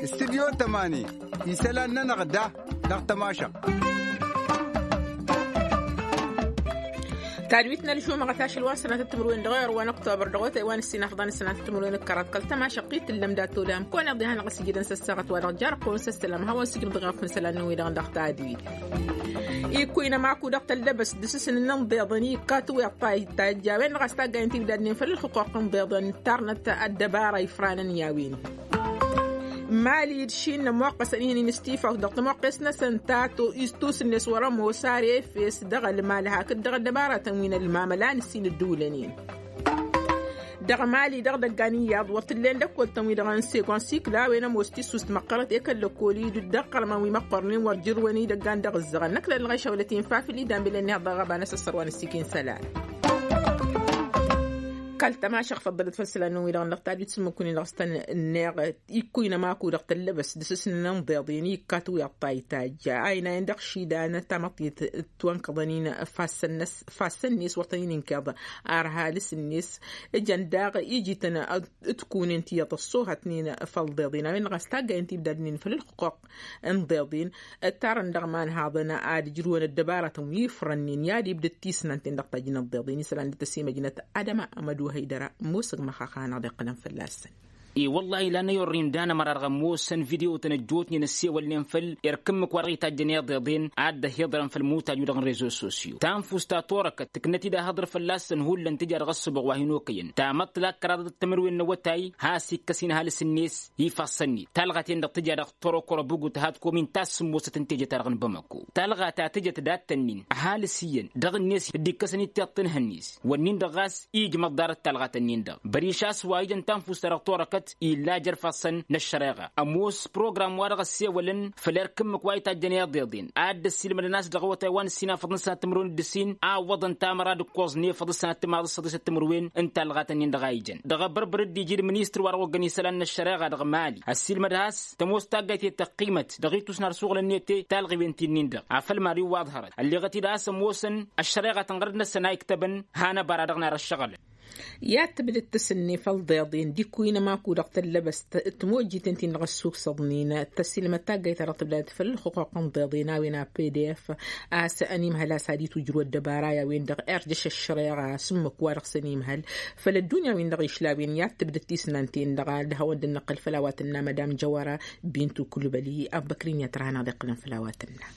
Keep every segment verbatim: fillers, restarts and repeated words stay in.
Studyo tămani, isălan-nănăɣ da dăɣ-tămašăɣt. Tadwit n-ălžumăɣăt ašăl wa n-sănatăt timǝrwen dăɣ-ewăr wa n-ăktobăr dăɣ-otay wa n-ǝssin afḍăn sănatăt timǝrwen d-kăraḍ kăl-tămašăɣt i-tǝllăm dat-tolăm kăwăn-iḍya hanăɣ-ăsijǝdăn s-ăssaɣăt wa dăɣ-jarăq-kăwăn s-ăssălam hawăn-sǝjǝm dăɣ-iɣăfăn isălan-năwăn-wi-dăɣ dăɣ-tadwit. Ikkuyăn ămaku dăɣ-tăllăbăst d-asǝsǝn n-inḍeḍăn i-ikkat wi ăṭṭay tajjawen dăɣ-a-s taggayăn tibdad-nin făll-ălxuquq n-inḍeḍăn tarnăt ăddăbara ifranăn i-a-wen. Mali d-šin ămoqqăsăn ihnin s-tifaw dăɣ-tămoqqes-năsăn ta tusǝnnes wăr-ămoos ar efes dăɣ-ălmal hakd dăɣ-ăddăbaratăn wi n-ălmamăla n-ǝssin ădduulăn-in. Dăɣ-mali dăɣ-idăggan iyyăḍ wăr t-ǝllen dăkk-wăl-tăn-wi-dăɣ n-segon sikla a-wen ămoos tissust măqqărăt i-kăl-lăkkol-i d-ăqqărmăn wi măqqărnen wăr jărrǝwăn idăggan dăɣ-ǝzzăɣăn năkk lăllăɣ išăwlăt-in fafǝl idan bilăn neheḍ dăɣ-ăba n-asăssăr wa n-ǝssikin isălan. Kăl-tămašăɣ făḍḍălăt făll-isălan-năwăn-wi-dăɣ n-dăɣ-tadwit s-ǝmmǝk-win-dăɣ s-tăn-neɣ ikkuyăn ămaku dăɣ-tăllăbăst d-asǝsǝn n-inḍeḍen i-ikkat wi ăṭṭay tajja a ina-en dăɣ-išidan tamăḍt-i t-ătwănkăḍăn-in. Fassăn-net wăr tăn-in-inkeḍ ar halǝs-net. Ǝjăn daɣ iji-tăn d-kunen tiyyăḍ ăṣṣoohătnen făll-iḍeḍen a-wen-dăɣ a-s taggayăn tibdadnen făll-ălxuquq n-iḍeḍen. Ǝttarăn dăɣ-imanhaḍăn ad-ǝjrǝwăn ăddăbaratăn wi ifrănnen i-ad-ibdăd tisnant-en dăɣ-tajjǝn ăḍḍeḍen isălan d-tăsimăjnăt adăma amădu hăydăra. Musǝg măxaxa hanăɣ-dd-iqqǝlăn fălla-săn. I-wăllah ilan ayorrin danămăra dăɣ-ămoosăn video-tăn ăjjootnen ăssewălnen făll-erk ǝmmǝk wa dăɣ-itajjăn iḍeḍen ad-dd-ăhiḍărăn făll-imutaj-wi-dăɣ n-rezo sosyo tanfust ta torăkăt tǝknăt-dd ahăḍăr fălla-săn hullan tǝja dăɣ-ăssăbuɣ wa hin-okăyăn tamăḍt la kăraḍăt d-timǝrwen n-awătay. Has-ikkăs-in ăhalǝs-net ifassăn-dd talɣa-ten-dăɣ tǝja dăɣ-torokoro bǝgut had komin ta s-sǝmmosăt n-teje-ta-dăɣ n-bamăko talɣa ta tǝjăt dat-tăn-in ăhalǝs iyyăn dăɣ-net dd-ikkăsăn-dd tiṭṭǝnhăn-net. Wănnin-dăɣ ɣas ijmăḍ ḍarăt talɣa-tăn-in-dăɣ băriš a-s wa ijăn tanfust-ta-dăɣ torăkăt illa jer-ifassăn n-ăššăreɣa ămoos program wa dăɣ-ăssewălăn făll-erk ǝmmǝk wa itajjăn iḍeḍen ad-dd-ăssiilmădăn a-s dăɣ-awătay wa n-ǝssin afăḍăn sănat timǝrwen d-ǝssin a ǝwwăḍăn tamăra d-ǝkkoẓ n-efăḍ sănat timaḍ s-săḍisăt timǝrwen n-talɣa-tăn-in-dăɣ a ijăn dăɣ-abărbăr dd-iji d-ministăr wa dăɣ-oggăn isălan n-ăššăreɣa dăɣ-mali ăssiilmăd has tămoos taggayt i-tăqqimăt dăɣ-itusnar suɣǝl-net talɣiwen ti-nin-dăɣ afăl mari wa ǝḍhărăt ălleɣăt-dd a-s ămoosăn ăššăreɣa tănɣăr-dd-năsăn a iktăbăn hanăbara dăɣ-narăššăɣǝlăn. I-ad-tǝbdăd tǝsǝnne făll-iḍeḍen d-ikkuy n-ămaku dăɣ-tăllăbăst tămojjiten ti n-dăɣ-ăssuksăḍnen tăsilmăd taggayt-ta-dăɣ tǝbdad făll-ălxuquq n-iḍeḍen a-wen a pdf a-s ănimhăl a-s ad-itwǝjrǝw ăddăbara i-a-wen-dăɣ irjăš ăššăreɣa s-ǝmmǝk wa dăɣ-s ănimhăl făll-ăddunya-win-dăɣ išlawen i-ad-tǝbdăd tisnant-en-dăɣ ad-hawăn-dd-năqqǝl făll-a-wa tǝnna madam jăwăra bintu kulbăli. Abbăkrin i-ad-tărha hanăɣ-dd-iqqǝlăn făll-a-wa tǝnna.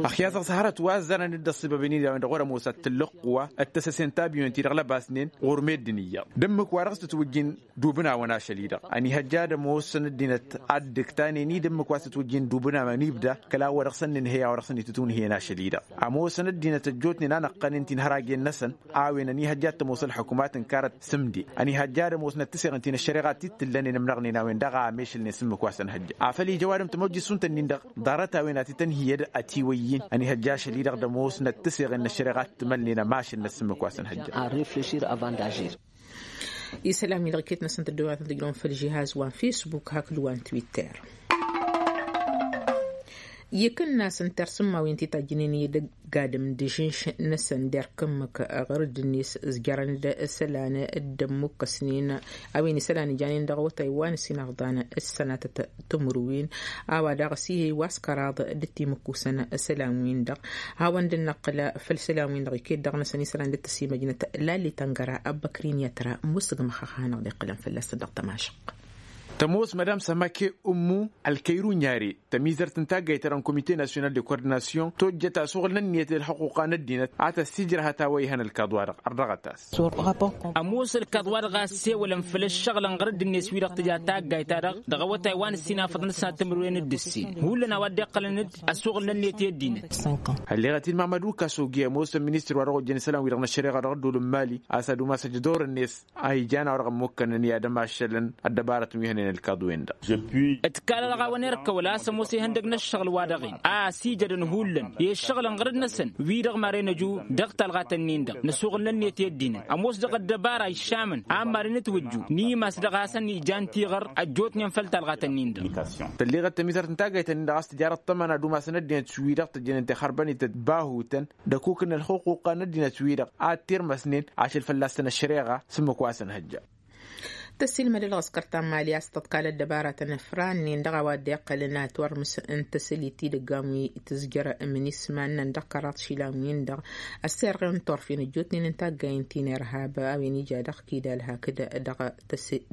Ăxyas ăẓhărăt wa ăzzărăn-dd ăṣṣibăb-in-i d-a-wen-dăɣ wăr-ămoos ad-t-tǝllǝqqǝwa d-tăsăse n-tabiyon-ti-dăɣ lăbasnen ɣur-meddǝn iyyăḍ d-ǝmmǝk wa dăɣ-s tǝtwǝjjin d-ubǝnawăn ašăl-i-dăɣ ănihăjja ad-ămoosăn ăddinăt ad-dd-ǝktanen-i d-ǝmmǝk wa s-tǝtwǝjjin d-ubǝnawăn ibda kăla wa dăɣ-săn nǝnhăy a-wa dăɣ-săn itǝtwǝnhǝyăn ašăl-i-dăɣ. Ămoosăn ăddinăt ăjjootnen a năqqănen ti n-hărajjen-năsăn a-wen ănihăjja ad-tămoos ălḥukumat n-karăt sǝmde ănihăjja ad-ămoosnăt tǝseɣen ti n-ăššăreɣa ti t-tǝllănen ămnăɣnen a-wen-dăɣ a ămešălnen s-ǝmmǝk wa s-ănhăjja afăl ija ăwadǝm tămojjit šund-tăn-in-dăɣ ḍarăt-a-wen ad-t-tăn-hi-ed ătiwăyyin ănihăjja ašăl-i-dăɣ d-ămoosnăt tǝseɣen n-ăššăreɣa t-tǝmălnen ămašălnăt s-ǝmmǝk wa s-ănhăjja. Isălan-wi-dăɣ iket-năsăn tăddoyatăn tǝjrăwăn făll-žihaz wa n-fesbuk hakd wa n-twitter. Ikǝnnas n-tersǝmma wi n-titajjǝnen i-dăgg-adǝm d-ažǝnš-năsăn d-erk ǝmmǝk ɣur-dd-net ǝzjărăn-dd isălan dd-ămmukkăsnen a-wen isălan ijanen dăɣ-awătay wa n-ǝssin afḍan d-sănatăt timǝrwen a-wa daɣ s-ihăy wa s-kăraḍ d-timǝkkusăn isălan-win-dăɣ. Hawăn-dd-năqqǝl făll-isălan-win-dăɣ iket dăɣ-năsăn isălan dd-tăsimăjnăt lalli tăngăra ăbbăkrin i-ătra musǝgmăx a hanăɣ-dd-iqqǝlăn fălla-săn dăɣ-tămašăq. Tămoos madam sămake ummu ălkăyru n-yare tămizărt n-taggayt-ta-dăɣ n-komite nasyonal de kordinasyon tojjăt asuɣǝl n-ǝnniyăt d-ălxuquqa n-ăddinăt a tăssijrăhăt a-wa ihăn ălkaḍ-wa-dăɣ ărdăɣăt-as. Ămoos ălkaḍ-wa-dăɣ a ăssewălăn făll-ăššăɣǝl ănɣăr-dd-net wi-dăɣ tǝja taggayt-ta-dăɣ dăɣ-awătay wa n-ǝssin afăḍăn d-sănat timǝrwen d-ǝssin hullan a-wa dd-iqqălăn-dd asuɣǝl n-ǝnniyăt i-ăddinăt. Ălleɣăt-in mamăd ukasogi ămoosăn ministăr wa dăɣ-ojjăn isălan-wi-dăɣ n-ăššăreɣa dăɣ-ădduul n-mali a-s ad-umas ăjdor-net a ijan a-wa dăɣ-ămmukkănăn i-ad-ămašălăn ăddăbarăt n-wi hănen. Ǝlkaḍ-wen-dăɣ. Ǝtkal ălɣawăn irkăwăl a-s ămoos ihăndăg n-ǝššăɣǝl-wa-dăɣ-in a-s ijădăn hullan i-ǝššăɣǝlăn ɣărăt-năsăn wi-dăɣ maren ăju dăɣ-talɣat-ǝnnin-dăɣ năsuɣǝlnăn-net i-ăddinăn ămoos dăɣ-ăddăbara iššamăn a n-maren ǝtwǝjju n-imas dăɣ-hasăn-ijan tiɣăr ăjjootnen făll-talɣat-ǝnnin-dăɣ. Tălleɣăt tămizărt n-taggayt-ǝnnin-dăɣ a-s tǝjarăt tămăna d-umasăn ăddinăt wi-dăɣ tăjjănen tixărbănităt bahutăn d-ăkuk n-ălxuquqa n-ăddinăt-wi-dăɣ a t-irmăsnen ašăl fălla-săn ăššăreɣa s-ǝmmǝk wa săn-hăjja. Tăsilmăd ălɣăskăr ta n-mali a-s tăḍkal ăddăbaratăn ăfrannen dăɣ-a-wa dd-iqqălăn atwărmǝs n-tăsălit idăggan wi tǝzjăr ǝmnis iman-nănăɣ dăɣ-kăraḍ išilan-win-dăɣ ăssirɣen turfen ăjjootnen n-taggayen ti n-irhab a-wen ija dăɣ-kidal hakd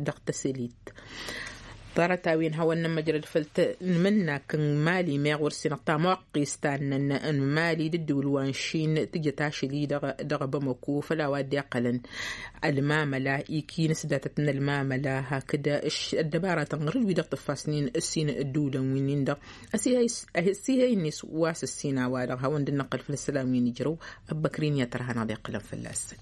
dăɣ-tăsălit. Ḍarăt-a-wen hawăn-nămmăjrăd făll-tănmǝnnak n-mali meɣ wăr-sǝnăɣ tamuqqist ta n-năn n-mali d-ǝddǝwǝl wa n-šin tǝjăt ašăl-i-dăɣ dăɣ-bamăko făll-a-wa dd-iqqălăn ălmamăla ikinǝs datăt n-ălmamăla hakd ăddăbaratăn ɣur-wi-dăɣ tǝffasnen ǝssin ǝddǝwǝlăn wi-nin-dăɣ. Ăsihăy-net wa s-ǝssin a-wa-dăɣ hawăn-dd-năqqăl făll-isălan wi n-ijrăw. Ăbbăkrin i-ad-tărha n-ad-iqqǝlăn fălla-săn.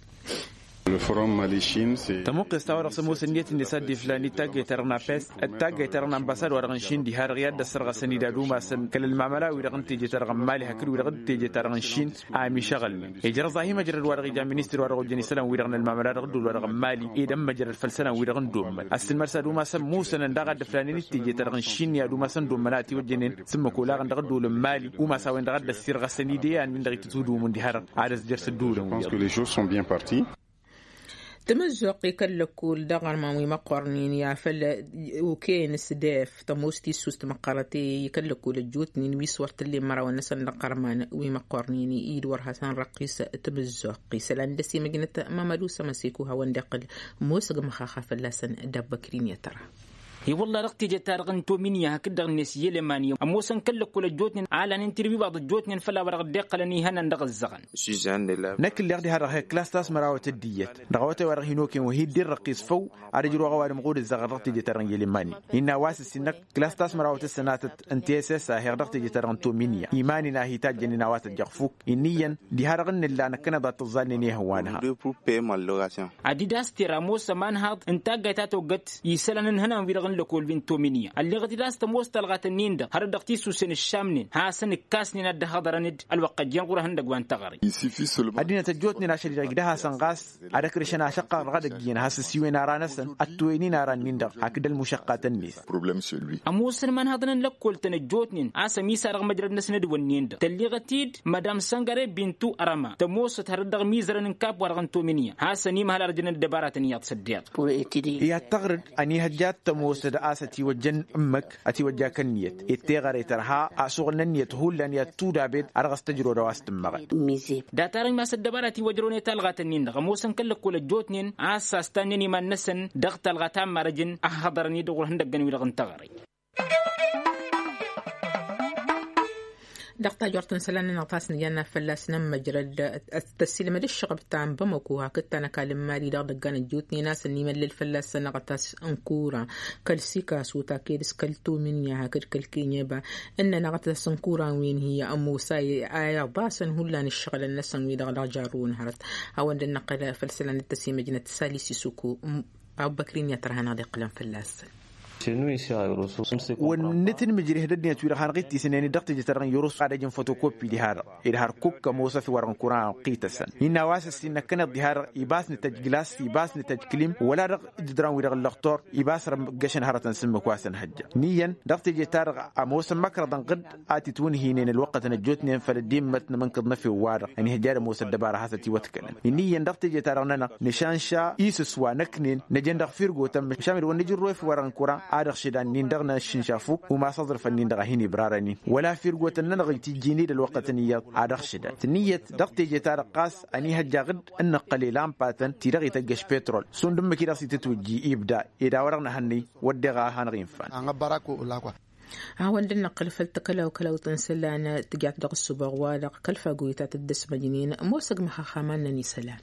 Tămuqqest a-wa-dăɣ s-ămoos ǝnniyăt-net a dd-iflan i-taggayt-ta-dăɣ n-apes d-taggayt-ta-dăɣ n-ambasad-wa-dăɣ n-šin diha-dăɣ i-ad-dd-ăssărɣăsăn-dd ad-umasăn kăl-ălmamăla-wi-dăɣ n-teje-ta-dăɣ n-mali hakd wi-dăɣ d-teje-ta-dăɣ n-šin. A ămišăɣălnen ijrăẓ-ahi măjrăd-wa-dăɣ ija ministăr-wa-dăɣ ojăn isălan-wi-dăɣ n-ălmamăla dăɣ-ădduul-wa-dăɣ n-mali ed ămmăjrăd făll-isălan-wi-dăɣ n-dd-ommăl ăssǝlmăr s-ad-umasăn musănăn daɣ ad-dd-ǝflanen d-teje-ta-dăɣ n-šin i-ad-umasăn dd-ommăl a ătiwăjjănen s-ǝmmǝk olaɣăn dăɣ-ădduul n-mali umas a-wen-dăɣ a dd-ăssirɣăsăn-dd i-an-win-dăɣ itǝtwǝdǝwǝmǝn diha-dăɣ ad-ăzjăr s-ădduulăn-wi-dăɣ. Tǝmǝzzuɣt i-kăl-lăkkul dăɣ-armăn wi măqqornen i-afăl okăyăn s-def tămoos tissust măqqărăt i-kăl-lăkkul ăjjootnen wi s-wăr t-ǝllen mărawăn-năsăn dăɣ-armăn wi măqqornen i-dd-wăr hasăn răqqis. Tǝmǝzzuɣt isălan dăr-s imăjnăt mămădu s-ămăseko hawăn-dd-iqqǝl mosăg măxaxa fălla-săn. D-abbăkrin i-ad-tăra i-wălla dăɣ-teje-ta-dăɣ n-tominya hakd-dăɣ-net i-elemanya ămoosăn kăl-lăkkol ăjjootnen a lanen tirwibaḍ ăjjootnen făll-a-wa dăɣ-dd-iqqălăn ihănan dăɣ-ǝzzăɣăn. Năkk ǝlleɣ diha-dăɣ hi-klass ta-s mărawăt d-iyyăt dăɣ-awătay wa dăɣ-hin-okăyăn wa hi-dd-irrăqqis făw. Ad-ǝjrǝwăɣ ăwadǝm ɣud ǝzzăɣăɣ dăɣ-teje-ta-dăɣ n-elemanya innă a-wa s-ǝssin-năk klass ta-s mărawăt d-sănatăt n-tss a heɣ dăɣ-teje-ta-dăɣ n-tominya iman-in a hi-tajjănen a-wa tăjjăɣ fuk. Inn'-iyyăn diha-dăɣ n-nǝlla năkkăneḍ ad-tǝẓẓalnen i-ihăwwan-ha. Adidas tera ămoos ămanhaḍ n-taggayt ta toggăt isălan n-ihănan-wi-dăɣ n-lăkol wi n-tominya ălleɣăt-dd a-s tămoos talɣat-ǝnnin-dăɣ hărăt dăɣ-tisusen ǝššamnen hasăn-ǝkkasnen ad-dd-hăḍărăn-dd ălwăqq ăjjeen ɣur-ehăndăgg wa n-taɣăre. Ăddinăt ăjjootnen ašăl-i-dăɣ igdăh-asăn ɣas ad-ăkrǝšăn ašăqqăɣ dăɣ-edăgg iyyăn has-ăsiwăyăn ara-năsăn ăttoyăn-in ara-nin-dăɣ hakd ălmušăqqatăn-net. Ămoosăn imanhaḍăn n-lăkkol-tăn ăjjootnen a-s ămisarăɣ măjrăd-năsăn d-wănnen-dăɣ tălleɣăt-dd madam săngăre bintu ărăma tămoosăt hărăt dăɣ-imizărăn n-kap-wa-dăɣ n-tominya hasăn-imhăl arjăn ăddăbaratăn iyyăḍ s-ăddiiḍ. I-ad-tăɣrǝd ănihăjja ad-tămoosăd a-s ătiwăjja n-ǝmmǝk ătiwăjja kănniyăt ed teɣăre tărha asuɣǝl n-ǝnniyăt hullan i-ad-tudabed a dăɣ-s tăjrăwăd a-wa s-tǝmmăɣăd. Datarăn imas ăddăbarat iwăjrăwăn i-talɣat-ǝnnin-dăɣ ămoosăn kăl-lăkkol ăjjootnen a-s astannen iman-năsăn dăɣ-talɣa ta n-marăjăn ăhhăḍărăn-dd ɣur-ihăndăggăn-wi-dăɣ n-taɣăre. Dăɣ-tajort n-isălan-nănăɣ ta s-nǝjănna fălla-s nămmăjrăd ad-tăsilmăd ǝššăɣăb ta n-bamăko hakd ta n-ăkall n-mali dăɣ-idăggan ăjjootnen a-s ănnimăllăl fălla-s sănăɣăt a-s ănkuran kăl-sikasu taked s-kăl-tominya hakd kăl-kenyeba. Ǝnnănăɣăt a-s ănkuran wi n-hi-ămoos a iḍasăn hullan ǝššăɣǝlăn-năsăn wi-dăɣ dăɣ-jarrǝw n-hărăt. Hawăn-dd năqqăl făll-isălan d-tăsimăjnăt salis isuku. Abbăkrin i-ad-tărha n-ad-iqqǝlăn fălla-săn. Wăr nǝtǝnmǝjrih d-ăddinăt-wi-dăɣ hanăɣ-ittisǝnen-dd dăɣ-teje-ta-dăɣ n-yăros ad-ăj n-fotokopi diha-dăɣ ed hărkuk ămoosăt wăr-ănkuran ănqităsăn. Innă a-wa s-ǝssin năkkăneḍ diha-dăɣ ibas nǝtăjj glas ibas nǝtăjj kǝlim wăla dăɣ-ǝjǝdran-wi-dăɣ ǝllăɣtor. Ibas răggăšăn hărătăn s-ǝmmǝk wa s-ănhăjja ǝnniyyăn dăɣ-teje-ta-dăɣ ămoosăn măkrăḍăn ɣǝd a t-itwǝnhǝynen ălwăqqătăn ăjjootnen făll-ăddimmăt n-amǝnkǝḍ n-efew-wa-dăɣ ănihăjja ad-ămoos ăddăbara hasăt-iwătkălăn. Ǝnniyyăn dăɣ-teje-ta-dăɣ-nănăɣ nǝšanša isǝs wa năknen năjăn dăɣ-firgotăn măšan ed wăr nǝjǝrro efew wăr-ănkuran ad-ăɣšǝdan-nin-dăɣ n-ašǝnša fuk umas aẓrǝfăn-nin-dăɣ a hin-ibrarăn-in wăla firgotăn-nănăɣ itijjin-dd ălwăqqătăn iyyăḍ ad-ăɣšǝdan tǝnnǝyyăt dăɣ-teje-ta-dăɣ ɣas ănihăjja ɣǝd n-năqqăl i-lampatăn ti-dăɣ ităjjăš petrol šund ǝmmǝk-i-dăɣ s-itǝtwǝjji ibda ed a-wa-dăɣ nǝhănnăy. Wădden a hanăɣ-infan. Hawăn-dd-năqqǝl făll-takălaw kălawt n-isălan tǝjat dăɣ-ăssubăɣ-wa-dăɣ kăl-fagoyăt a tăt-dd-ăsmăjnen ămoosăg măxaxamăn-năn isălan.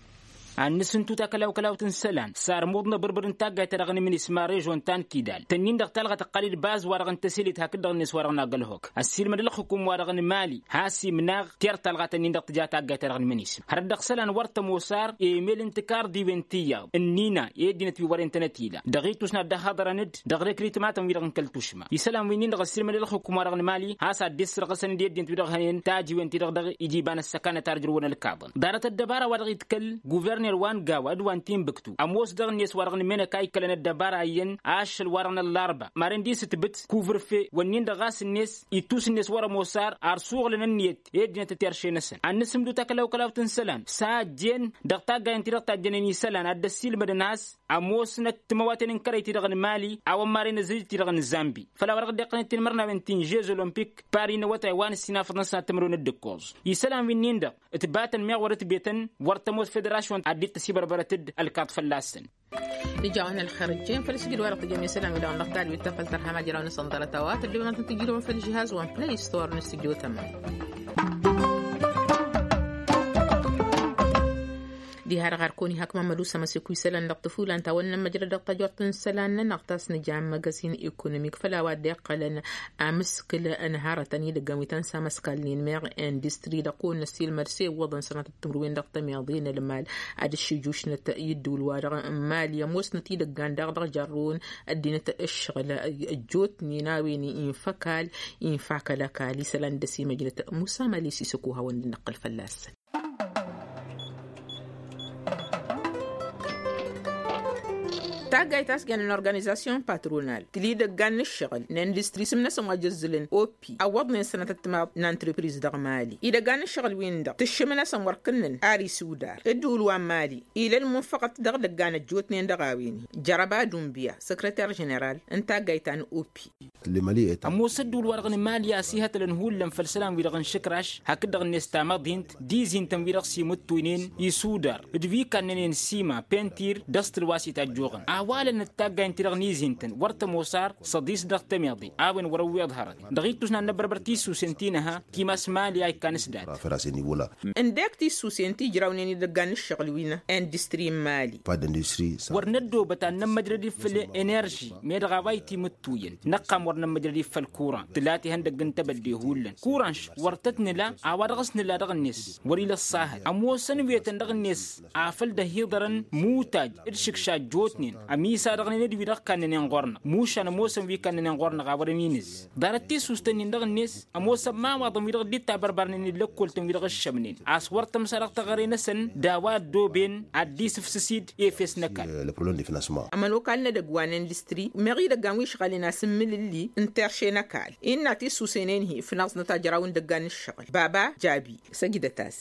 Ad-nǝsǝntu takălaw-kălawt n-isălan sarmuḍ n-abǝrbǝr n-taggayt-ta-dăɣ n-imǝnis ma režon ta n-kidal tănnin-dăɣ talɣa tăqqal-dd bazz-wa-dăɣ n-tăselit hakd-dăɣ-net wa-dăɣ n-agălhok. Ăssiilmăd ălxukum wa-dăɣ n-mali has-imnaɣ ter-talɣa tănnin-dăɣ tǝja taggayt-ta-dăɣ n-imǝnis. Hărăt dăɣ-isălan wăr tămoos ar emel n-tikarḍiwen tiyyăḍ ǝnnina i-ăddinăt wi wăren-tănăt ila dăɣ-ittus n-ad-dd-ăhhăḍărăn-dd dăɣ-rekritmatăn-wi-dăɣ n-kăl-tušma isălan wi-nin-dăɣ ăssiilmăd ălxukum-wa-dăɣ n-mali has-ad-dd-issărɣǝsăn-dd i-ăddinăt-wi-dăɣ hănen tajiwen-ti-dăɣ dăɣ-ijiba n-ăssăkanăt ar ǝjrǝwăn ălkaḍăn. Ḍarăt ăddăbara wa dăɣ-itkăl guverner wa n-gawa d-wa n-tinbǝktu ămoos dăɣ-net wa dăɣ-nǝmenăk a ikkălăn ăddăbara iyyăn ašăl wa dăɣ-năllarba maren d-isǝtbǝt kuvǝrfe wănnin-dăɣ ɣas-net ittus-net wăr-ămoos ar ar suɣǝlăn ǝnniyăt i-ăddinăt ăterše-năsăn ad-nǝsǝmdǝw takălawkălawt n-isălan s-a ăjjeen dăɣ-taggayen-ti-dăɣ tajjănen isălan ad-dd-ăssiilmădăn a-s ămoosnăt timăwaten n-kărăy-ti-dăɣ n-mali a-wăn maren ăzzăjăt-ti-dăɣ n-zambi făll-a-wa dăɣ-dd-iqqălăn tinmărnawen ti n-žez olompik pari n-awătay wa n-ǝssin afăḍăn s-ad-timǝrwen d-ǝkkoẓ. Isălan wi-nin-dăɣ ǝtbatăn meɣ wăr-ǝtbetăn wăr tămoos federasyon ad-dd-tăsibărbărăt-dd ălkaḍ fălla-săn. Ija-wăn ălxer ǝjjeen făll-sǝjǝd wa dăɣ-tǝjjăm isălan wi-dăɣ n-dăɣ talwit ta făll-tărha ma ijrawăn-asăn ḍarăt a-wa tăddobem ad-tăn-tǝjrǝwăm făll-žihaz wa n-play store n-studio tămam. Diha-dăɣ ar kăwăn-ihak mamădu s-amăsek wi isălan dăɣ-tăfulan ta wănnăn măjrăd dăɣ-tajort n-isălan-nănăɣ ta s-nǝja n-măgăzin ekonomik făll-a-wa dd-iqqălăn amǝskǝl n-hărătăn idăggăn wi tăn-samăskalnen meɣ industri dăɣ-kăwăn-năssiilmăd s-iwwăḍăn sănatăt timǝrwen dăɣ-tămiḍe n-ălmal ad-ǝššǝjušnăt i-ǝddǝwǝl-wa-dăɣ n-mali ămoosnăt idăggan daɣ dăɣ-jarrăwăn ăddinăt ǝššăɣǝl ăjjootnen a-wen infa ăkall infa akăl ăkall isălan d-ăsimăjnăt musa mali s-isăko hawăn-dd-nǝqqǝl fălla-săn. Taggayt a-s jăn n-organizasyon patronal tǝla idăggan n-ǝššăɣǝl n-industri isǝm-năsăn wa jăzzǝlăn oppi ăwwăḍnen sănatăt timaḍ n-entrepriz dăɣ-mali idăggan n-ǝššăɣǝl-win-dăɣ tǝššǝm-năsăn wăr kǝnnăn ar isudar ǝddǝwǝl wa n-mali ila ălmunfăɣăt dăɣ-idăggan ăjjootnen dăɣ-a-wen-hi. Jărăba dunbiya săkrăter ženeral n-taggayt ta n-oppi. Ămoos ăddǝwǝl-wa-dăɣ n-mali a-s ihătălăn hullan făll-isălan-wi-dăɣ n-išǝkraš hakd-dăɣ-net tamăḍint d-izintăn-wi-dăɣ s-imǝttuynen isudar d-wi kannănen sima pentir d-ăstǝl wa s-itajjuɣăn a-wa lănăt taggayen-ti-dăɣ n-izintăn wăr tămoos ar săḍis dăɣ-tămiḍe a-wen wăr-ăwweḍ hărăt dăɣ-ittus n-ad-năbbărbăr tissusen ti nǝha timas mali a ikkan s-dat. Ǝndek tissusen ti ǝjrawnen idăggan n-ǝššăɣǝl wi n-industri n-mali. Wăr năddoobăt ad-nămmăjrăd-dd făll-enerži meddăɣ a-wa itimǝttuyăn năqqam wăr nămmăjrăd-dd făll-kuran tǝla tihăndăgg n-tebădde hullan kuran š-wăr tăt-nǝla a-wa dăɣ-s nǝla dăɣ-net wăr-ila ăṣṣahăd ămoosăn wetăn dăɣ-net afăl dd-ăhiḍărăn mutaj d-išǝkša ăjjootnen ămisadăɣnen d-wi-dăɣ kannănen ɣur-năɣ mušan ămoosăn wi kannănen ɣur-năɣ a wărăn inǝz. Ḍarăt tissust-ǝnnin dăɣ-net ămoosăn imawaḍăn wi-dăɣ dd-ittabărbarnen d-lăkkoltăn wi-dăɣ ǝššămnen a-s wăr tămsa dăɣ-teɣăre-năsăn d-a-wa ăddooben ad-dd-isǝfsǝs-dd efes n-ăkall. Ămănokal n-edăgg wa n-industri meɣ idăggan wi ǝšɣălnen asǝmmǝlǝlli n-terše n-ăkall innă tissusen-en-hi fănaẓnăt ajraw n-idăggan n-ǝššăɣǝl baba jabi săjdăt-as.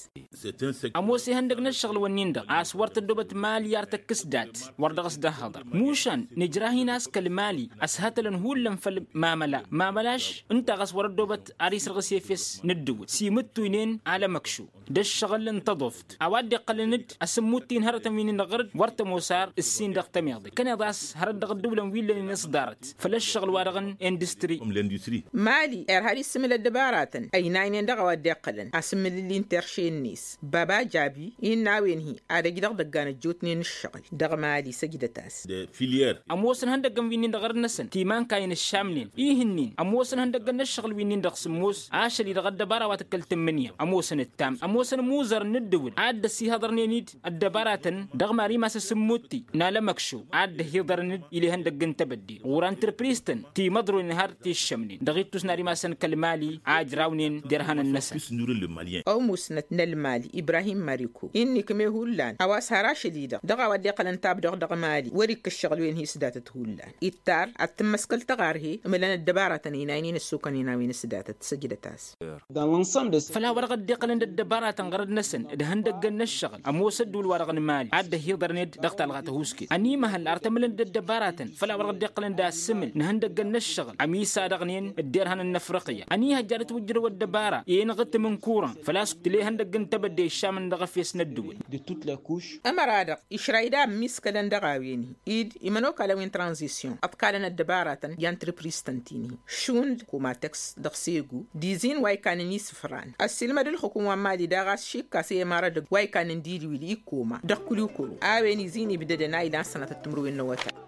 Ămoos ihăndăg n-ǝššăɣǝl-wǝnnin-dăɣ a-s wăr tăddoobăt mali ar tăkkǝs dat wăr dăɣ-s dd-ăhhăḍăr mušan nǝjrah-in a-s kăl-mali ăshătălăn hullan făll-mamăla mamăla-š ǝnta ɣas wăr-ăddoobăt ar isǝrɣǝs efes n-ǝddǝwǝl s-imǝttuynen alămăkšu d-ǝššăɣǝl n-tăḍoft a-wa dd-iqqălăn-dd asǝmmutti n-hărătăn wi n-inăɣrǝd wăr tămoos ar ǝssin dăɣ-tămiḍe kăneḍ a-s hărăt dăɣ-ăddăwlăn wi ǝllănen s-ḍarăt făll-ǝššăɣǝl-wa-dăɣ n-industri. Mali irha ad-issǝmǝl ăddăbaratăn ăynaynen dăɣ-a-wa dd-iqqălăn asǝmmǝlǝlli n-terše-net baba jabi innă a-wen-hi ad-ăj dăɣ-idăggan ăjjootnen ǝššăɣǝl dăɣ-mali săjdăt-as. Ămoosăn ihăndăggăn wi-nin dăɣ-ărnăsăn timankayăn ǝššamnen ih'-ǝnnin ămoosăn ihăndăggăn n-ǝššăɣǝl wi-nin-dăɣ s-ǝmmos ašăl-i dăɣ-ăddăbara wa tǝkkăl tǝmmǝnǝya ămoosăn ǝttam ămoosăn imuzărăn n-ǝddǝwǝl a dd-ăsihăḍărnen-dd ăddăbaratăn dăɣ-mari masăs n-mutti n-alămăkšo a dd-ăhiḍărăn-dd ila ihăndăgg n-tebădde ɣur-antrǝpriz-tăn timăḍroynen har t-iššămnen dăɣ-ittus n-ad-imasăn kăl-mali a ǝjrawnen derhanăn-năsăn. Ămusnăt n-ălmali ibrahim mariko inn'-ikme hullan a-wa s-har ašăl-i-dăɣ dăɣ-a-wa dd-iqqălăn tabdoɣt dăɣ-mali wăr-ikk ǝššăɣǝl-wen hi-s datăt hullan ittar ad-tǝmmăskăl tăɣarhe ǝmǝlăn ăddăbaratăn ăynaynen ăssokănen a-wen s-datăt săjdăt-as. Făll-a-wa-dăɣ dd-iqqălăn d-ăddăbaratăn ɣărăd-năsăn d-ihăndăggăn n-ǝššăɣǝl ămoos ăddǝwǝl-wa-dăɣ n-mali a dd-ăhiḍărnen-dd dăɣ-talɣa tăhusket ănimăhăl ar tămǝlăn d-ăddăbaratăn făll-a-wa-dăɣ dd-iqqălăn d-asǝmǝl n-ihăndăggăn n-ǝššăɣǝl ămisadăɣnen d-derhanăn n-afriqya ănihăjja ad-ătwǝjjărăw ăddăbara i-inɣǝttǝm n-kuran făl-a-s tǝla ihăndăgg n-tebădde iššamăn dăɣ-efes n-ăddǝwǝl. Ămăra-dăɣ išray d-a ămmiskălăn dăɣ-a-wen-hi id imănokalăn wi n-tranzisyon ăḍkalăn ăddăbaratăn i-antrăpriz-tăn ti-nihi šund komatăks dăɣ-segu d-izin wa ikanăn isǝfran. Ăssiilmăd ǝlxǝkum wa n-mali daɣ a-s šikkas i-imarădăg wa ikanăn diliwil ikkoma dăɣ-kulikolo a-wen izin ibdădăn a ilan sănatăt timǝrwen n-awătay.